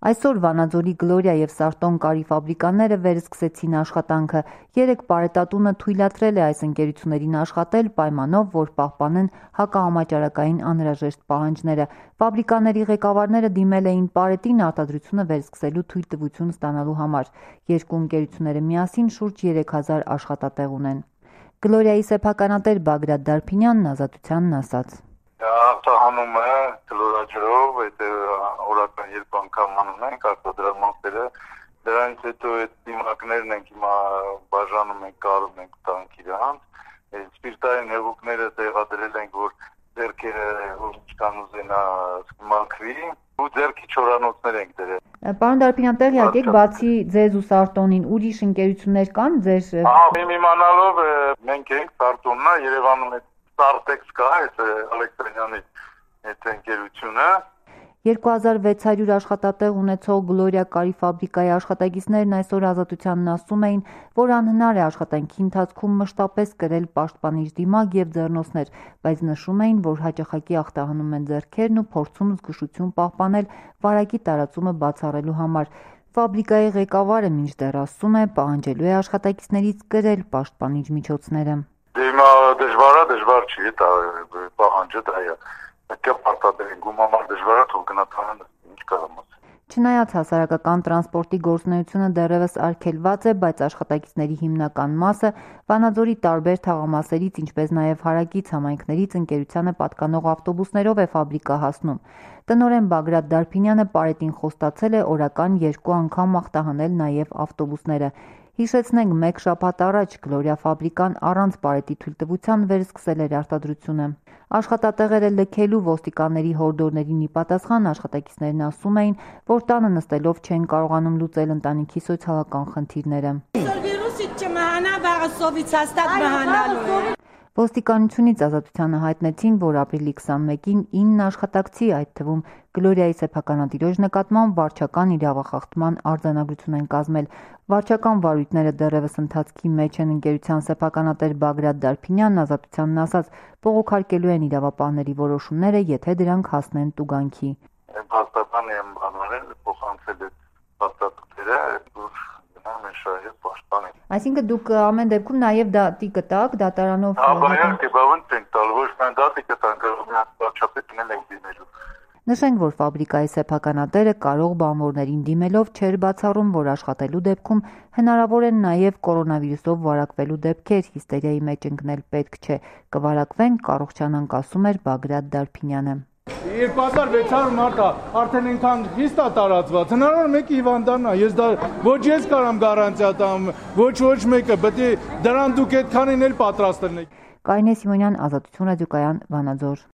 Այսօր Վանաձորի Գլորիա և Սարտոն կարի ֆաբրիկաները վերսկսեցին աշխատանքը։ 3 պարետատունը թույլատրել է այս ընկերություններին աշխատել պայմանով, որ պահպանեն հակահամաճարակային անհրաժեշտ պահանջները։ Ֆաբրիկաների ղեկավարները դիմել էին պարետին արտադրությունը վերսկսելու թույլտվություն ստանալու համար։ Երկու ընկերությունները միասին շուրջ 3000 աշխատատեղ ունեն։ Գլորիայի սեփականատեր Բագրատ Դարփինյանն Ազատությանն ասաց. Արտահանում է կլորաջրով, օրական 2 անգամ անում ենք արտադրամասերը, դրանից հետո այդ դիմակներն ենք հիմա բաժանում ենք, կարում ենք տանք իրանց, սպիրտային հեղուկները տեղադրել ենք, որ ձեռքերը ինչքան ուզենա մաքրի, ու ձեռքի չորանոցներ ենք դրել։ Պարոն Դարփինյան, տեղյակ եք, բացի ձեզ ու Սարտոնին ուրիշ ընկերություններ կան ձեր։ Իմ իմանալով մենք ենք Սարտոննա, Երևանում Սարտեքս կա, այդ Ալեքսանյանի այդ ընկերությունը։ 2600 աշխատատեղ ունեցող Գլորիա կարի ֆաբրիկայի աշխատակիցներն այսօր Ազատությանն ասում էին, որ անհնար է աշխատանքի ընթացքում մշտապես կրել պաշտպանիչ դիմակ և ձեռնոցներ, բայց նշում էին, որ հաճախակի ախտահանում են ձեռքերն ու փորձում զգուշություն պահպանել վարակի տարածումը բացառելու համար։ Ֆաբրիկայի ղեկավարը մինչդեռ ասում է, պահանջելու է աշխատակիցներից կրել պաշտպանիչ միջոցները։ Հիմա դժվար չի, պահանջը դա է։ Պետք է պարտադրեն գումամար դժվար է, թող գնա տանեն, ինչ կարամ ասել։ Չնայած հասարակական տրանսպորտի գործունեությունը դեռևս արգելված է, բայց աշխատակիցների հիմնական մասը Վանաձորի տարբեր թաղամասերից, ինչպես նաև հարակից համայնքներից ընկերությանը պատկանող ավտոբուսներով է ֆաբրիկա հասնում։ Տնօրեն Բագրատ Դարփինյանը պարետին խոստացել է օրական 2 անգամ ախտահանել նաև ավտոբուսները։ Հիշեցնենք, 1 շաբաթ առաջ Գլորիա ֆաբրիկան առանց պարետի թույլտվության վերսկսել էր արտադրությունը։ Աշխատատեղերը լքելու ոստիկանների հորդորներին ի պատասխան աշխատակիցներն ասում էին, որ տանը նստելով չեն կարողանում լուծել ընտանիքի սոցիալական խնդիրները։ Ոստիկանությունից Ազատությանը հայտնեցին, որ ապրիլի 21-ին 9 աշխատակցի, այդ թվում Գլորիայի սեփականատիրոջ նկատմամբ վարչական իրավախախտման արձանագրություն են կազմել։ Վարչական վարույթները դեռևս ընթացքի մեջ են։ Ընկերության սեփականատեր Բագրատ Դարփինյանն Ազատությանն ասաց, բողոքարկելու են իրավապահների որոշումները, եթե դրանք հասնեն տուգանքի։ Հաստատան եմ բանալել, փոխանցել այդ հաստատությունները, Այսինքն դուք ամեն դեպքում նաև դատի կտաք, դատարանով։ Իհարկե, բավարար չենք տալ, ոչ միայն դատի կտանք, վարչապետին ենք դիմելու։ Նշենք, որ ֆաբրիկայի սեփականատերը կարող բանվորներին դիմելով չէր բացառում, որ աշխատելու դեպքում հնարավոր են նաև կորոնավիրուսով վարակվելու դեպքեր, հիստերիայի մեջ ընկնել պետք չէ, կվարակվեն, կառողջանանք, ասում էր Բագրատ Դարփինյանը։ 2600 մարդ արդեն այնքան հիստ է տարածված, հնարավոր մեկը հիվանդանա, ոչ ես կարամ գարանտիա տամ, ոչ մեկը, պետք է դրան դուք այդքանին էլ պատրաստ լինեք։ Կարինե Սիմոնյան, Ազատություն ռադիոկայան, Վանաձոր։